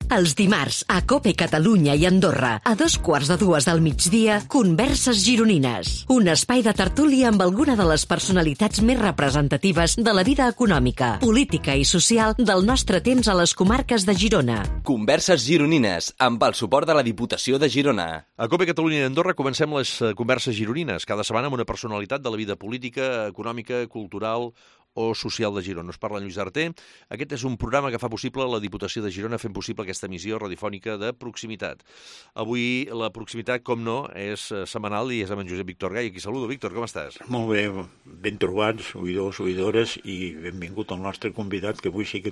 Els dimarts, a COPE Catalunya i Andorra, a 2:15 del migdia, Converses Gironines. Un espai de tertúlia amb alguna de les personalitats més representatives de la vida econòmica, política i social del nostre temps a les comarques de Girona. Converses Gironines, amb el suport de la Diputació de Girona. A COPE Catalunya i Andorra comencem les Converses Gironines, cada setmana amb una personalitat de la vida política, econòmica, cultural o social de Girona. Us parla Lluís Arter. Aquest és un programa que fa possible la Diputació de Girona fent possible aquesta emissió radiofònica de proximitat. Avui la proximitat, com no, és setmanal i és amb en Josep Víctor Gai. Aquí saludo. Víctor, com estàs? Molt bé, ben trobats, oïdors, oïdores, i benvingut al nostre convidat, que avui sí que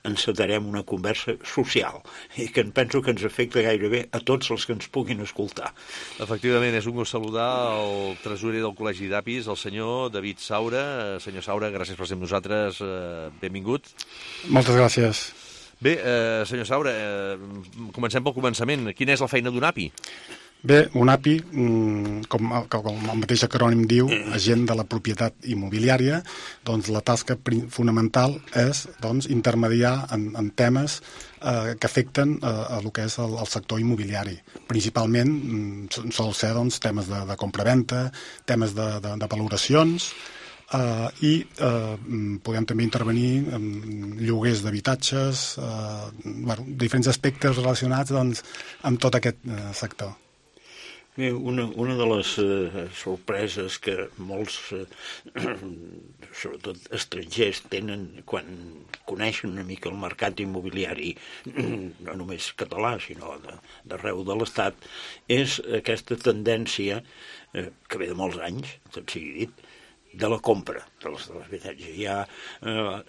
encetarem una conversa social i que penso que ens afecta gairebé a tots els que ens puguin escoltar. Efectivament, és un gust saludar el tresorer del Col·legi d'Apis, el senyor David Saura. Senyor Saura, gràcies per ser amb nosaltres. Benvingut. Moltes gràcies. Bé, senyor Saura, comencem pel començament. Quina és la feina d'un API? Bé, un API, com el mateix acrònim diu, agent de la propietat immobiliària, doncs la tasca fonamental és intermediar en temes que afecten a el que és el sector immobiliari. Principalment sol ser temes de compravenda, temes de valoracions, i podem també intervenir en lloguers d'habitatges, diferents aspectes relacionats amb tot aquest sector. Bé, una de les sorpreses que molts, sobretot estrangers, tenen quan coneixen una mica el mercat immobiliari, no només català, sinó d'arreu de l'Estat, és aquesta tendència, que ve de molts anys, tot sigui dit, de la compra de les habitatges.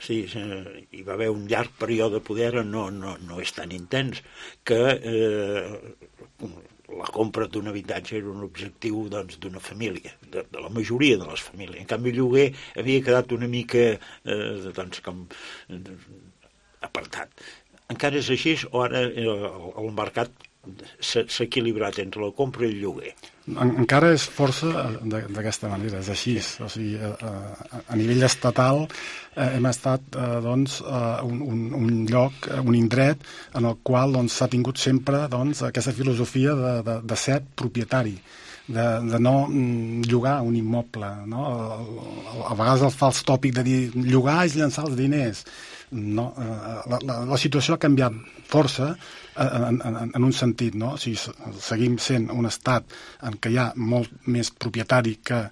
Hi va haver un llarg període de poder, no és tan intens, que la compra d'un habitatge era un objectiu d'una família, de la majoria de les famílies. En canvi, el lloguer havia quedat una mica com apartat. Encara és així o ara el mercat s'ha equilibrat entre la compra i el lloguer? Encara és força d'aquesta manera, és així. O sigui, a nivell estatal hem estat un lloc, un indret en el qual s'ha tingut sempre aquesta filosofia de ser propietari, de no llogar un immoble, no? A vegades el fals tòpic de dir llogar és llançar els diners. No, la situació ha canviat força en un sentit, no? O sigui, seguim sent un estat en què hi ha molt més propietari que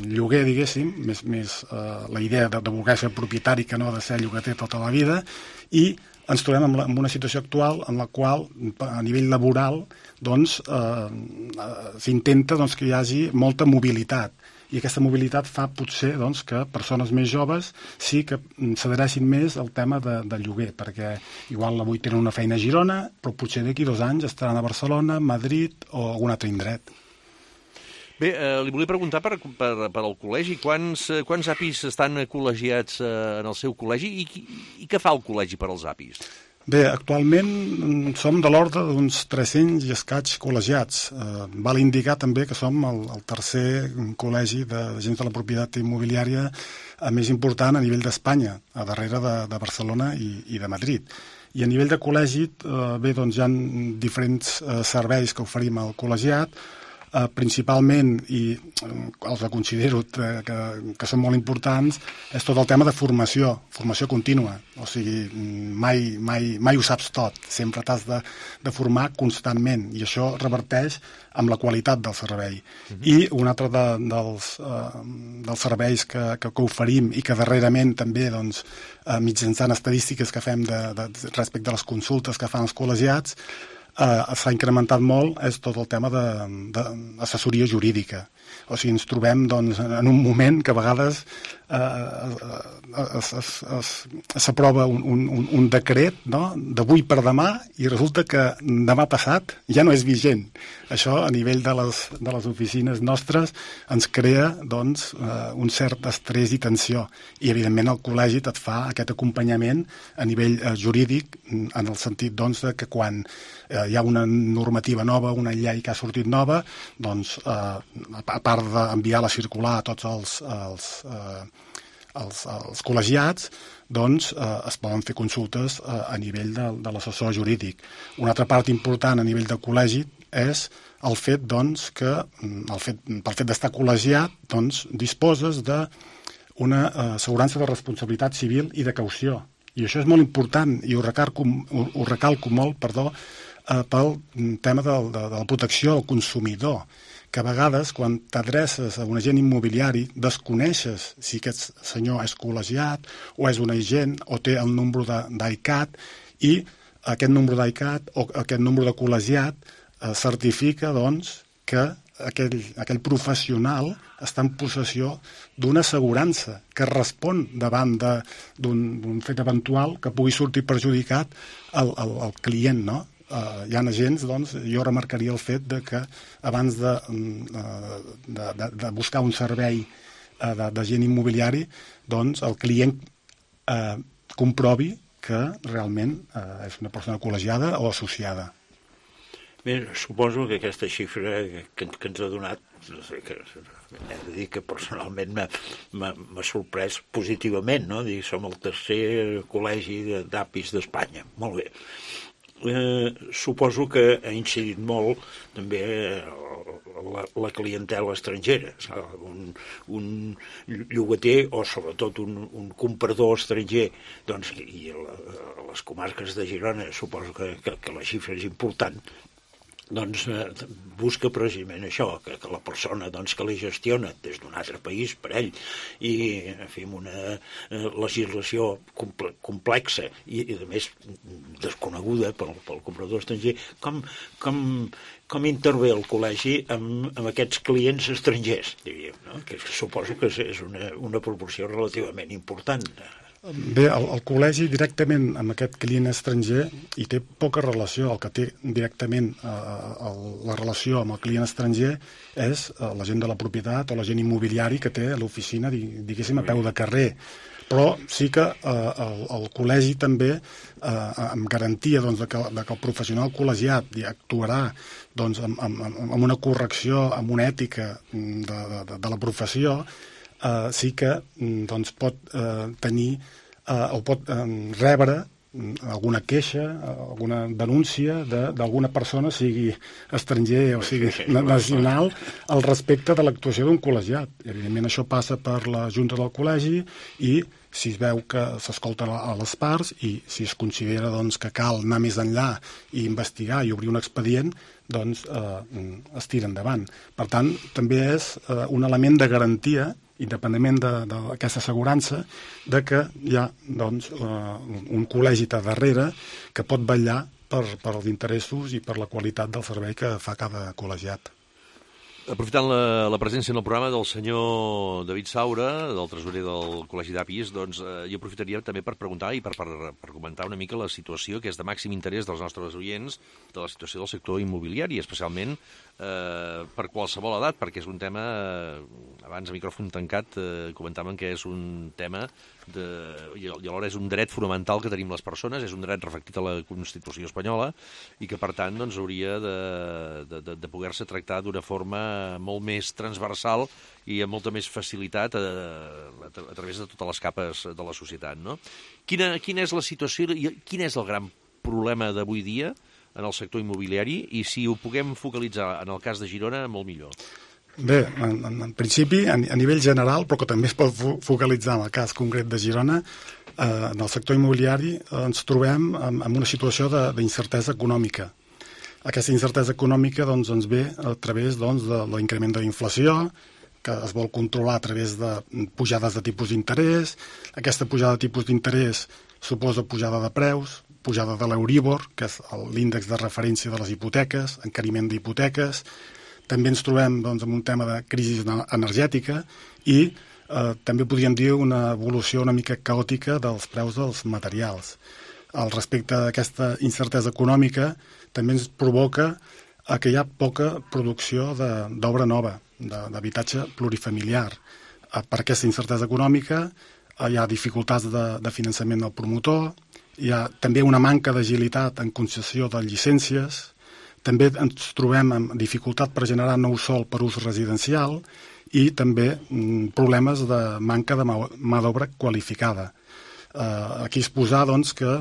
lloguer, diguéssim, més la idea de voler ser propietari que no de ser llogater tota la vida, i ens trobem en una situació actual en la qual, a nivell laboral, s'intenta que hi hagi molta mobilitat. I aquesta mobilitat fa potser que persones més joves sí que s'adhereixin més al tema de lloguer, perquè igual avui tenen una feina a Girona, però potser d'aquí 2 anys estaran a Barcelona, Madrid o algun altre indret. Bé, li volia preguntar per al col·legi, quants APIs estan col·legiats en el seu col·legi i què fa el col·legi per als APIs? Bé, actualment som de l'ordre d'uns 300 i escaig col·legiats. Val indicar també que som el tercer col·legi d'agents de la propietat immobiliària més important a nivell d'Espanya, a darrere de Barcelona i de Madrid. I a nivell de col·legi, bé, hi ha diferents serveis que oferim al col·legiat, principalment, i els considero que són molt importants, és tot el tema de formació contínua. O sigui, mai ho saps tot, sempre t'has de formar constantment, i això reverteix amb la qualitat del servei. I un altre dels serveis que oferim i que darrerament també mitjançant estadístiques que fem respecte a les consultes que fan els col·legiats, s'ha incrementat molt, és tot el tema d'assessoria jurídica. O sigui, ens trobem en un moment que a vegades s'aprova un decret d'avui per demà i resulta que demà passat ja no és vigent. Això, a nivell de les oficines nostres, ens crea un cert estrès i tensió. I, evidentment, el col·legi et fa aquest acompanyament a nivell jurídic, en el sentit que quan hi ha una normativa nova, una llei que ha sortit nova, a part d'enviar la circular a tots els col·legiats, doncs es poden fer consultes a nivell de l'assessor jurídic. Una altra part important a nivell de col·legi és el fet, doncs, que pel fet d'estar col·legiat, doncs, disposes d'una assegurança de responsabilitat civil i de caució. I això és molt important i ho recalco molt, pel tema de la protecció al consumidor, que a vegades, quan t'adreces a un agent immobiliari, desconeixes si aquest senyor és col·legiat o és un agent o té el número d'ICAT, i aquest número d'ICAT o aquest número de col·legiat certifica, doncs, que aquell professional està en possessió d'una assegurança que respon davant d'un fet eventual que pugui sortir perjudicat al client, no? Hi ha agents, doncs, jo remarcaria el fet de que abans de buscar un servei d'agent immobiliari, doncs el client comprovi que realment és una persona col·legiada o associada. Bé, suposo que aquesta xifra que ens ha donat, no sé, que he de dir que personalment m'ha sorprès positivament, no? Som el tercer col·legi d'APIs d'Espanya. Molt bé. Suposo que ha incidit molt també la clientela estrangera. Un llogater o sobretot un comprador estranger, doncs, i a les comarques de Girona suposo que la xifra és important, doncs busca precisament això, que la persona que li gestiona des d'un altre país per ell, i en fi, amb una legislació complexa i a més desconeguda pel comprador estranger, com intervé el col·legi amb aquests clients estrangers, diríem, no? Que suposo que és una proporció relativament important. Bé, el col·legi directament amb aquest client estranger hi té poca relació. El que té directament la relació amb el client estranger és l'agent de la propietat o l'agent immobiliari que té l'oficina, diguéssim, a peu de carrer. Però sí que el col·legi també, amb garantia de que el professional col·legiat actuarà amb una correcció, amb una ètica de la professió, sí que pot tenir o pot rebre alguna queixa, alguna denúncia d'alguna persona, sigui estranger o sigui nacional, al respecte de l'actuació d'un col·legiat. Evidentment, això passa per la Junta del Col·legi i si es veu que s'escolten a les parts i si es considera que cal anar més enllà i investigar i obrir un expedient, doncs es tira endavant. Per tant, també és un element de garantia, independentment d'aquesta assegurança, de que hi ha un col·legi a darrere que pot vetllar per els interessos i per la qualitat del servei que fa cada col·legiat. Aprofitant la presència en el programa del senyor David Saura, del tresorer del Col·legi d'APIs, doncs jo aprofitaria també per preguntar i per comentar una mica la situació que és de màxim interès dels nostres oients, de la situació del sector immobiliari, especialment per qualsevol edat, perquè és un tema, abans a micròfon tancat comentàvem que és un tema i alhora és un dret fonamental que tenim les persones, és un dret reflectit a la Constitució espanyola i que per tant hauria de poder-se tractar d'una forma molt més transversal i amb molta més facilitat a través de totes les capes de la societat, no? Quina és la situació i quin és el gran problema d'avui dia en el sector immobiliari i si ho puguem focalitzar en el cas de Girona, molt millor. Bé, en principi, a nivell general, però que també es pot focalitzar en el cas concret de Girona, en el sector immobiliari ens trobem en una situació d'incertesa econòmica. Aquesta incertesa econòmica ens ve a través de l'increment de la inflació, que es vol controlar a través de pujades de tipus d'interès. Aquesta pujada de tipus d'interès suposa pujada de preus, pujada de l'Euríbor, que és l'índex de referència de les hipoteques, encariment d'hipoteques. També ens trobem amb un tema de crisi energètica i també podríem dir una evolució una mica caòtica dels preus dels materials. Al respecte d'aquesta incertesa econòmica també ens provoca que hi ha poca producció d'obra nova, d'habitatge plurifamiliar. Per aquesta incertesa econòmica hi ha dificultats de finançament del promotor, hi ha també una manca d'agilitat en concessió de llicències, també ens trobem amb dificultat per generar nou sòl per ús residencial i també problemes de manca de mà d'obra qualificada. Aquí exposar doncs, que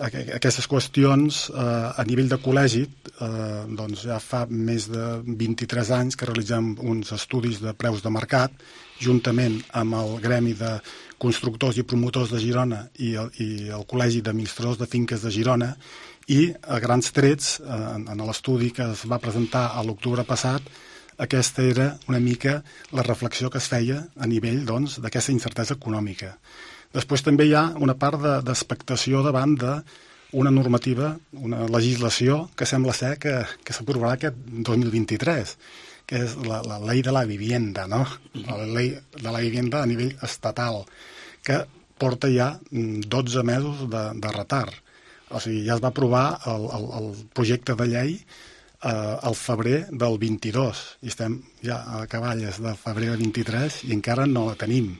aquestes qüestions a nivell de col·legi doncs ja fa més de 23 anys que realitzem uns estudis de preus de mercat juntament amb el Gremi de Constructors i Promotors de Girona i el Col·legi d'Administradors de Finques de Girona, i a grans trets en l'estudi que es va presentar a l'octubre passat, aquesta era una mica la reflexió que es feia a nivell doncs, d'aquesta incertesa econòmica. Després també hi ha una part d'expectació davant d'una normativa, una legislació que sembla ser que s'aprovarà aquest 2023, que és la Ley de la Vivienda, no? La Ley de la Vivienda a nivell estatal, que porta ja 12 mesos de retard. O sigui, ja es va aprovar el projecte de llei al febrer del 22, i estem ja a cavalles de febrer del 23 i encara no la tenim.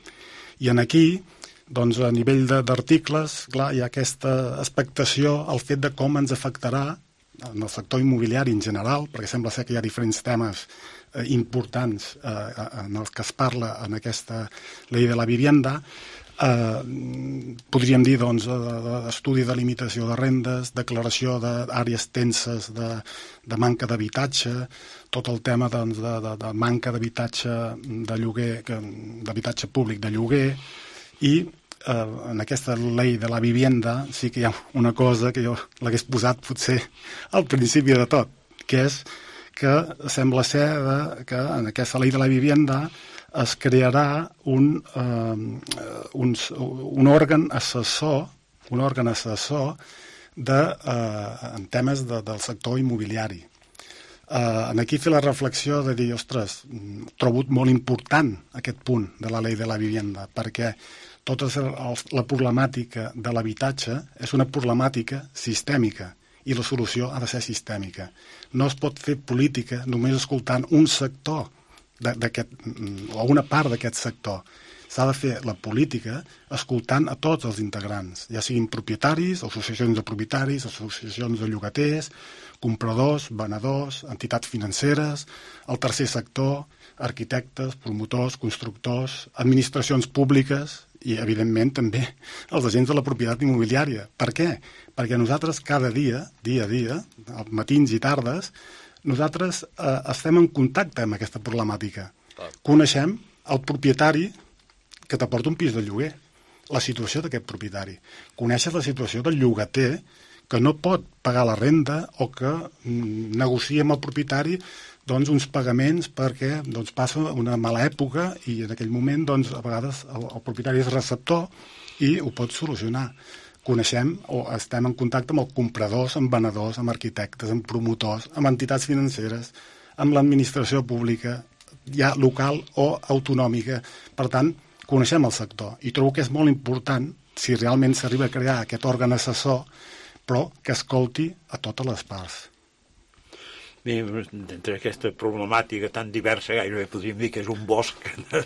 I aquí, doncs, a nivell d'articles, clar, hi ha aquesta expectació al fet de com ens afectarà en el sector immobiliari en general, perquè sembla ser que hi ha diferents temes importants en els que es parla en aquesta llei de la vivienda. Podríem dir, doncs, estudi de limitació de rendes, declaració d'àrees tenses de manca d'habitatge, tot el tema doncs, de manca d'habitatge de lloguer, d'habitatge públic de lloguer, i en aquesta llei de la vivienda sí que hi ha una cosa que jo l'hagués posat potser al principi de tot, que és que sembla ser que en aquesta llei de la vivienda es crearà un òrgan assessor, en temes del sector immobiliari. Aquí fer la reflexió de dir, ostres, trobo molt important aquest punt de la llei de la vivienda, perquè tota la problemàtica de l'habitatge és una problemàtica sistèmica i la solució ha de ser sistèmica. No es pot fer política només escoltant un sector o una part d'aquest sector. S'ha de fer la política escoltant a tots els integrants, ja siguin propietaris, associacions de propietaris, associacions de llogaters, compradors, venedors, entitats financeres, el tercer sector, arquitectes, promotors, constructors, administracions públiques i, evidentment, també els agents de la propietat immobiliària. Per què? Perquè nosaltres cada dia, dia a dia, matins i tardes, nosaltres estem en contacte amb aquesta problemàtica. Coneixem el propietari que t'aporta un pis de lloguer, la situació d'aquest propietari. Coneixes la situació del llogater que no pot pagar la renda o que negocia amb el propietari doncs, uns pagaments perquè doncs, passa una mala època i en aquell moment doncs, a vegades el propietari és receptor i ho pot solucionar. Coneixem o estem en contacte amb els compradors, amb venedors, amb arquitectes, amb promotors, amb entitats financeres, amb l'administració pública, ja local o autonòmica. Per tant, coneixem el sector i trobo que és molt important, si realment s'arriba a crear aquest òrgan assessor, però que escolti a totes les parts. Bé, entre aquesta problemàtica tan diversa, gairebé podríem dir que és un bosc de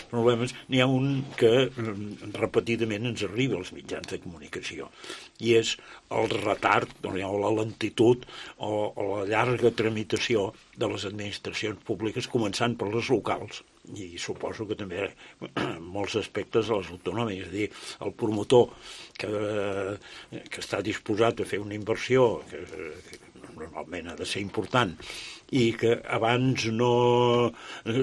problemes, n'hi ha un que repetidament ens arriba als mitjans de comunicació, i és el retard o la lentitud o la llarga tramitació de les administracions públiques, començant per les locals, i suposo que també molts aspectes de les autonòmiques, és a dir, el promotor que està disposat a fer una inversió que normalment ha de ser important i que abans no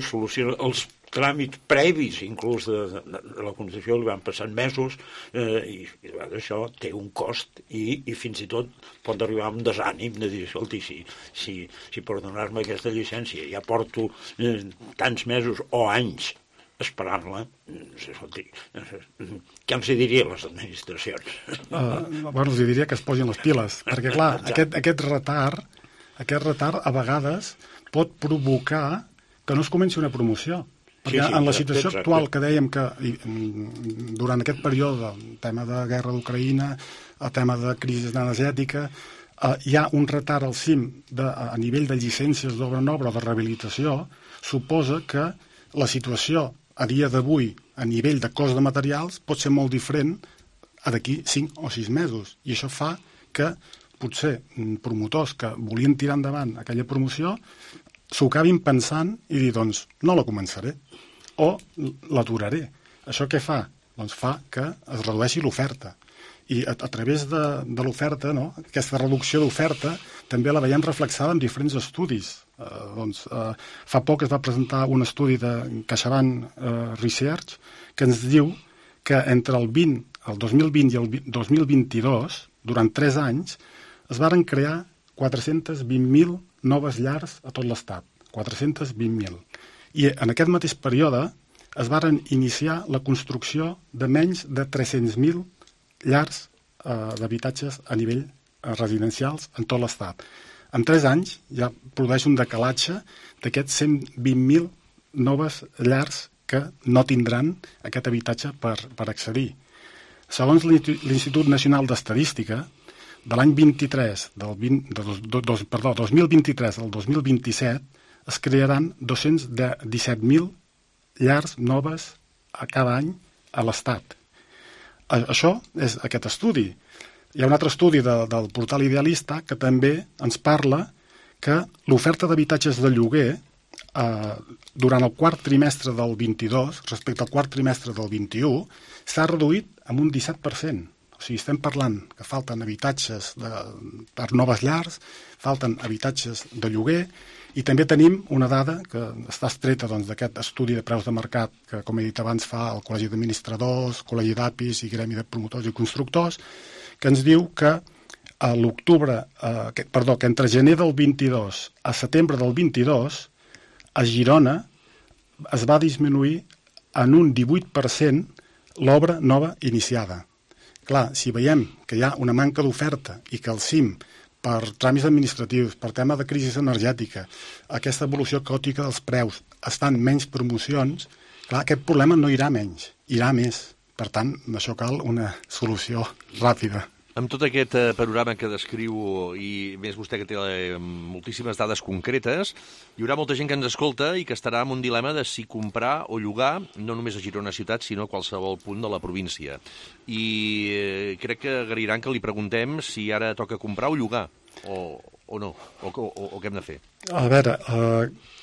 soluciona els tràmits previs, inclús de la concessió, li van passant mesos i això té un cost i fins i tot pot arribar a un desànim de dir, escolti, si per donar-me aquesta llicència ja porto tants mesos o anys esperant-la, què els diria a les administracions? Els diria que es posin les piles, perquè clar, aquest retard a vegades pot provocar que no es comenci una promoció. Perquè en la situació actual que dèiem que durant aquest període, el tema de guerra d'Ucraïna, el tema de crisi energètica, hi ha un retard al cim a nivell de llicències d'obra nova o de rehabilitació, suposa que la situació a dia d'avui, a nivell de cost de materials, pot ser molt diferent a d'aquí 5 o 6 mesos. I això fa que potser promotors que volien tirar endavant aquella promoció s'ho acabin pensant i dir, doncs, no la començaré o l'aturaré. Això què fa? doncs fa que es redueixi l'oferta. I a través de l'oferta, no? Aquesta reducció d'oferta també la veiem reflexada en diferents estudis. Fa poc es va presentar un estudi de CaixaBank Research que ens diu que entre el 2020 i el 2022, durant 3 anys, es varen crear 420.000 noves llars a tot l'Estat. 420.000. I en aquest mateix període es varen iniciar la construcció de menys de 300.000 llars d'habitatges a nivell residencials en tot l'Estat. En 3 anys ja produeix un decalatge d'aquests 120.000 noves llars que no tindran aquest habitatge per accedir. Segons l'Institut Nacional d'Estadística, de l'any 2023 al 2027 es crearan 217.000 llars noves a cada any a l'Estat. Això és aquest estudi. Hi ha un altre estudi del portal Idealista que també ens parla que l'oferta d'habitatges de lloguer durant el quart trimestre del 22 respecte al quart trimestre del 21 s'ha reduït en un 17%. O sigui, estem parlant que falten habitatges per noves llars, falten habitatges de lloguer, i també tenim una dada que està extreta d'aquest estudi de preus de mercat que, com he dit abans, fa el Col·legi d'Administradors, Col·legi d'APIs i Gremi de Promotors i Constructors, que ens diu que que entre gener del 22 a setembre del 22 a Girona es va disminuir en un 18% l'obra nova iniciada. Clar, si veiem que hi ha una manca d'oferta i que el CIM, per tràmits administratius, per tema de crisi energètica, aquesta evolució caòtica dels preus, estan menys promocions, clar, aquest problema no irà menys, irà més. Per tant, això cal una solució ràpida. Amb tot aquest panorama que descriu, i més vostè que té moltíssimes dades concretes, hi haurà molta gent que ens escolta i que estarà en un dilema de si comprar o llogar, no només a Girona ciutat, sinó a qualsevol punt de la província. I crec que agraïran que li preguntem si ara toca comprar o llogar, o no, o què hem de fer. A veure,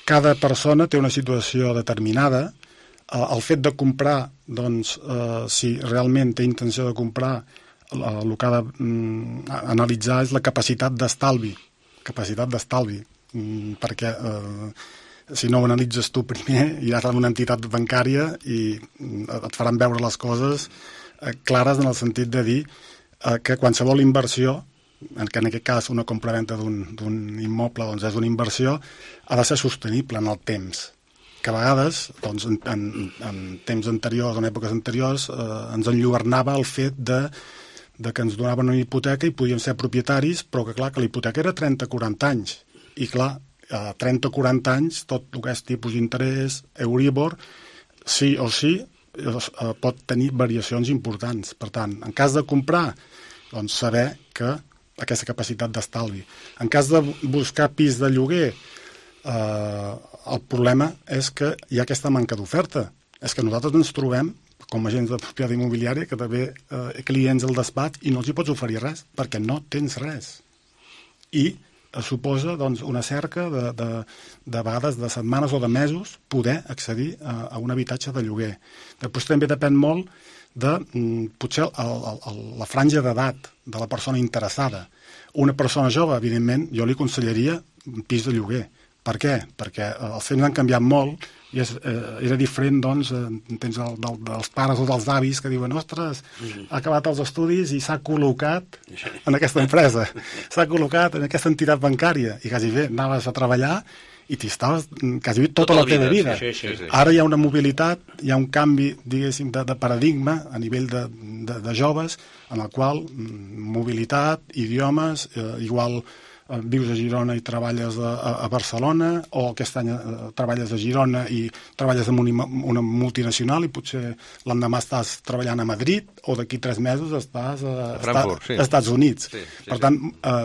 cada persona té una situació determinada. El fet de comprar, doncs, si realment té intenció de comprar, el que ha d'analitzar és la capacitat d'estalvi, perquè si no ho analitzes tu primer, iràs a una entitat bancària i et faran veure les coses clares en el sentit de dir que qualsevol inversió, que en aquest cas una compra-venta d'un immoble doncs és una inversió, ha de ser sostenible en el temps, que a vegades, doncs, en temps anteriors, en èpoques anteriors, ens enlluernava el fet de que ens donaven una hipoteca i podíem ser propietaris, però que clar, que la hipoteca era 30-40 anys. I clar, a 30-40 anys, tot el que és tipus d'interès, Euribor, sí o sí, pot tenir variacions importants. Per tant, en cas de comprar, doncs saber que aquesta capacitat d'estalvi. En cas de buscar pis de lloguer, el problema és que hi ha aquesta manca d'oferta. És que nosaltres ens trobem com a agents de propietat immobiliària, que també clients al despatx i no els hi pots oferir res, perquè no tens res. I suposa doncs, una cerca de vegades de setmanes o de mesos poder accedir a un habitatge de lloguer. Després també depèn molt de potser la franja d'edat de la persona interessada. Una persona jove, evidentment, jo li aconsellaria un pis de lloguer. Per què? Perquè els temps han canviat molt i era diferent, doncs, tens dels pares o dels avis que diuen, ostres, ha acabat els estudis i s'ha col·locat en aquesta empresa, s'ha col·locat en aquesta entitat bancària i quasi bé anaves a treballar i t'hi estaves quasi bé tota la teva vida. Sí. Ara hi ha una mobilitat, hi ha un canvi, diguéssim, de paradigma a nivell de joves, en el qual mobilitat, idiomes, igual vius a Girona i treballes a Barcelona, o aquest any treballes a Girona i treballes en una multinacional i potser l'endemà estàs treballant a Madrid, o d'aquí 3 mesos estàs Frankfurt, als Estats Units. Sí. Per tant,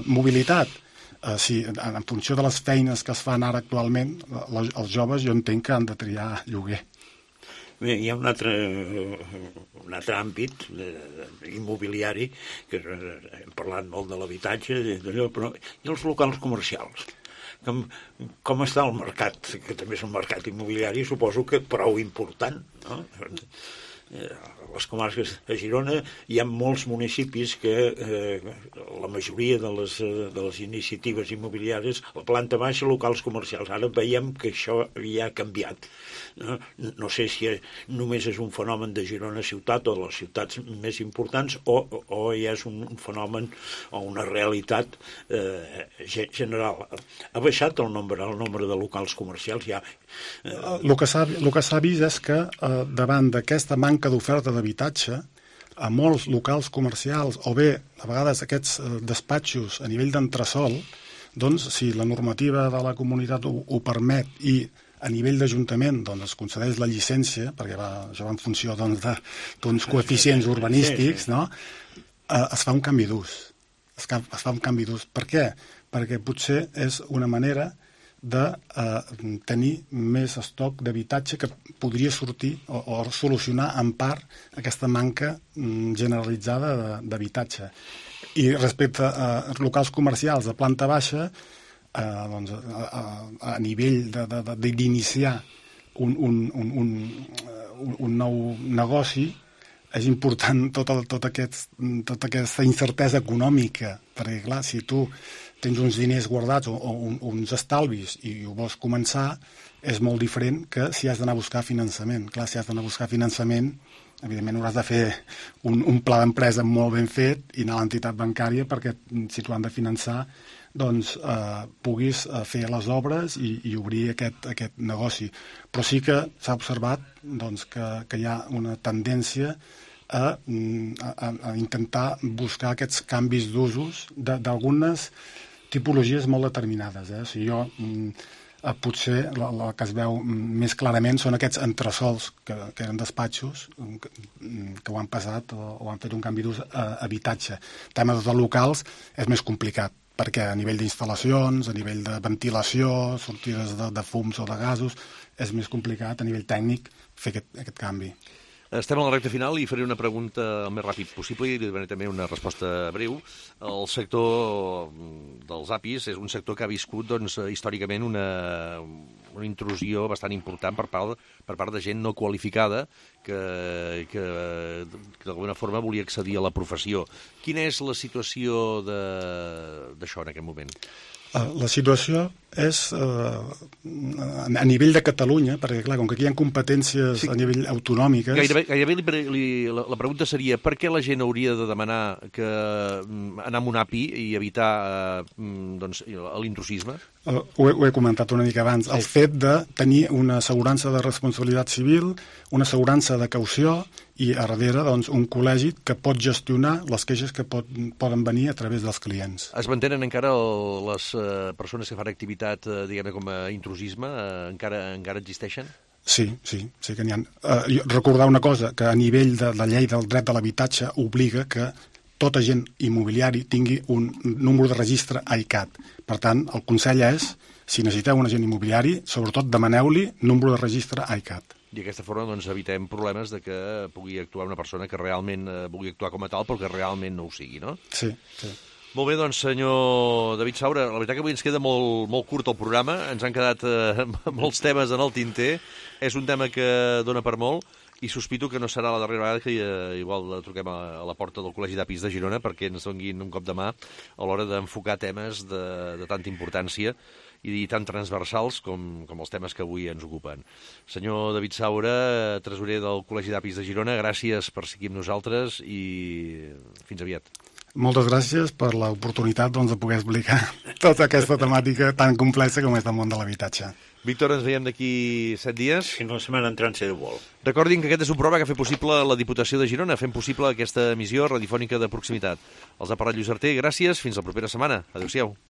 mobilitat, en funció de les feines que es fan ara actualment, els joves jo entenc que han de triar lloguer. Bé, hi ha un altre àmbit immobiliari, que hem parlat molt de l'habitatge, però i els locals comercials. Com està el mercat, que també és un mercat immobiliari, suposo que prou important, no? les comarques de Girona hi ha molts municipis que la majoria de les iniciatives immobiliàries, la planta baixa, locals comercials. Ara veiem que això ja ha canviat. No sé si només és un fenomen de Girona ciutat o de les ciutats més importants o ja és un fenomen o una realitat general. Ha baixat el nombre de locals comercials ja. El que s'ha vist és que davant d'aquesta manca d'oferta d'habitatge, a molts locals comercials o bé, a vegades, aquests despatxos a nivell d'entresòl, doncs, si la normativa de la comunitat ho permet i a nivell d'Ajuntament doncs, es concedeix la llicència, perquè això va en funció d'uns coeficients urbanístics, no? Es fa un canvi d'ús. Es fa un canvi d'ús. Per què? Perquè potser és una manera de tenir més estoc d'habitatge que podria sortir o solucionar en part aquesta manca generalitzada d'habitatge. I respecte a locals comercials de planta baixa, doncs, a nivell d'iniciar un nou negoci, és important tota aquesta incertesa econòmica, perquè, clar, si tu tens uns diners guardats o uns estalvis i ho vols començar, és molt diferent que si has d'anar a buscar finançament. Clar, si has d'anar a buscar finançament, evidentment hauràs de fer un pla d'empresa molt ben fet i anar a l'entitat bancària perquè, si tu han de finançar, doncs puguis fer les obres i obrir aquest negoci. Però sí que s'ha observat doncs, que hi ha una tendència a intentar buscar aquests canvis d'usos d'algunes tipologies molt determinades. O sigui, potser el que es veu més clarament són aquests entresòls que eren despatxos que ho han passat o han fet un canvi d'ús a habitatge. Temes de locals és més complicat, perquè a nivell d'instal·lacions, a nivell de ventilació, sortides de fums o de gasos, és més complicat a nivell tècnic fer aquest canvi. Estem a la recta final i faré una pregunta el més ràpid possible i li donaré també una resposta breu. El sector dels APIs és un sector que ha viscut doncs, històricament una intrusió bastant important per part de gent no qualificada que d'alguna forma volia accedir a la professió. Quina és la situació d'això en aquest moment? La situació és a nivell de Catalunya, perquè clar, com que aquí hi ha competències a nivell autonòmiques... Gairebé la pregunta seria per què la gent hauria de demanar anar amb un API i evitar l'intrusisme? Ho he comentat una mica abans. El fet de tenir una assegurança de responsabilitat civil, una assegurança de caució i a darrere doncs, un col·legi que pot gestionar les queixes que poden venir a través dels clients. Es mantenen encara les persones que fan activitat, diguem-ne, com a intrusisme? Encara existeixen? Sí que n'hi ha. Recordar una cosa, que a nivell de la llei del dret de l'habitatge obliga que tot agent immobiliari tingui un número de registre AICAT. Per tant, el consell és, si necessiteu un agent immobiliari, sobretot demaneu-li número de registre AICAT. I d'aquesta forma doncs, evitem problemes de que pugui actuar una persona que realment vulgui actuar com a tal, però que realment no ho sigui, no? Sí. Molt bé, doncs, senyor David Saura, la veritat que avui ens queda molt curt el programa, ens han quedat molts temes en el tinter, és un tema que dona per molt, i sospito que no serà la darrera vegada que igual truquem a la porta del Col·legi d'Apis de Girona perquè ens donguin un cop de mà a l'hora d'enfocar temes de tanta importància i tan transversals com els temes que avui ens ocupen. Senyor David Saura, tresorer del Col·legi d'Apis de Girona, gràcies per seguir amb nosaltres i fins aviat. Moltes gràcies per l'oportunitat de poder explicar tota aquesta temàtica tan complexa com és el món de l'habitatge. Víctor, ens veiem d'aquí 7 dies. Si no, la setmana entrant si vol. Recordin que aquest és un programa que ha fet possible la Diputació de Girona, fent possible aquesta emissió radiofònica de proximitat. Els ha parlat Lluís Arter, gràcies, fins la propera setmana. Adéu-siau.